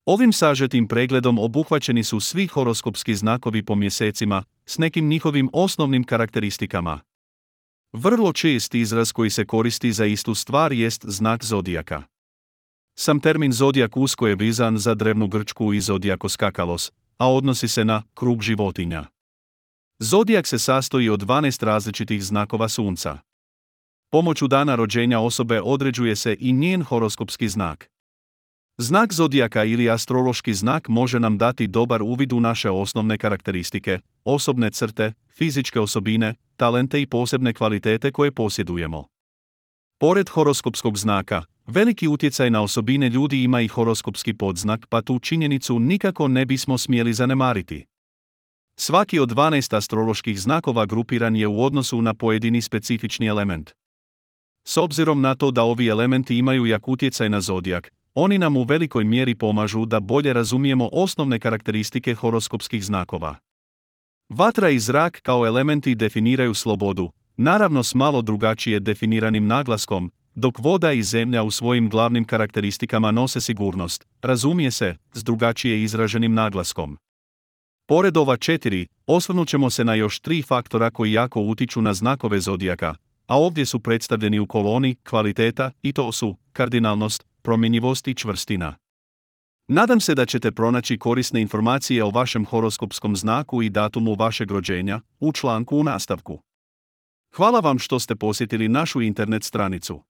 Ovim sažetim pregledom obuhvaćeni su svi horoskopski znakovi po mjesecima, s nekim njihovim osnovnim karakteristikama. Vrlo čest izraz koji se koristi za istu stvar jest znak zodijaka. Sam termin zodijak usko je vezan za drevnu Grčku i zodijakos kakalos, a odnosi se na krug životinja. Zodijak se sastoji od 12 različitih znakova sunca. Pomoću dana rođenja osobe određuje se i njen horoskopski znak. Znak zodijaka ili astrološki znak može nam dati dobar uvid u naše osnovne karakteristike, osobne crte, fizičke osobine, talente i posebne kvalitete koje posjedujemo. Pored horoskopskog znaka, veliki utjecaj na osobine ljudi ima i horoskopski podznak, pa tu činjenicu nikako ne bismo smjeli zanemariti. Svaki od 12 astroloških znakova grupiran je u odnosu na pojedini specifični element. S obzirom na to da ovi elementi imaju jak utjecaj na zodijak, oni nam u velikoj mjeri pomažu da bolje razumijemo osnovne karakteristike horoskopskih znakova. Vatra i zrak kao elementi definiraju slobodu, naravno s malo drugačije definiranim naglaskom, dok voda i zemlja u svojim glavnim karakteristikama nose sigurnost, razumije se, s drugačije izraženim naglaskom. Pored ova 4, osvrnut ćemo se na još 3 faktora koji jako utiču na znakove zodijaka, a ovdje su predstavljeni u koloni kvaliteta i to su kardinalnost, promjenjivost i čvrstina. Nadam se da ćete pronaći korisne informacije o vašem horoskopskom znaku i datumu vašeg rođenja u članku u nastavku. Hvala vam što ste posjetili našu internet stranicu.